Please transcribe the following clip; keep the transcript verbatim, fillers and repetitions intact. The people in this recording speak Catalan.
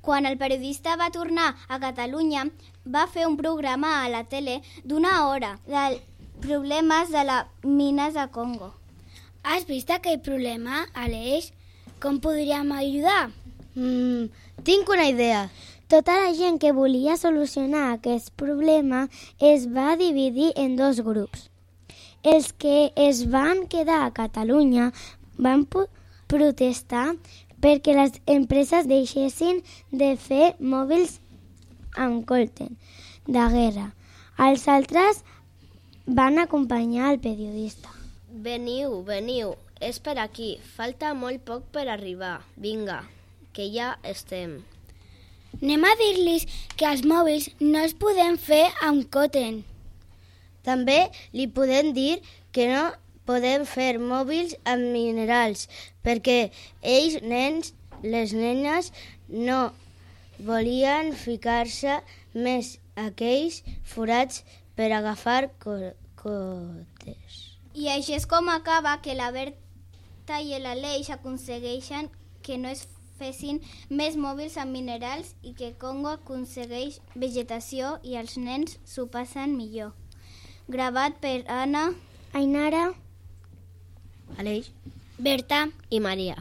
Quan el periodista va tornar a Catalunya, va fer un programa a la tele d'una hora dels problemes de les mines de Congo. Has vist aquell problema, Aleix? Com podríem ajudar? Mm, tinc una idea. Tota la gent que volia solucionar aquest problema es va dividir en dos grups. Els que es van quedar a Catalunya van protestar perquè les empreses deixessin de fer mòbils amb colten de guerra. Els altres van acompanyar el periodista. Veniu, veniu, és per aquí. Falta molt poc per arribar. Vinga, que ja estem. Anem a dir-los que els mòbils no els podem fer amb cotton. També li podem dir que no podem fer mòbils amb minerals, perquè ells, nens, les nenes, no volien ficar-se més aquells forats per agafar co- cotes. I així és com acaba que la Berta i l'Aleix aconsegueixen que no es fessin més mòbils amb minerals i que Congo aconsegueix vegetació i els nens s'ho passen millor. Gravat per Anna, Ainara, Aleix Berta i Maria.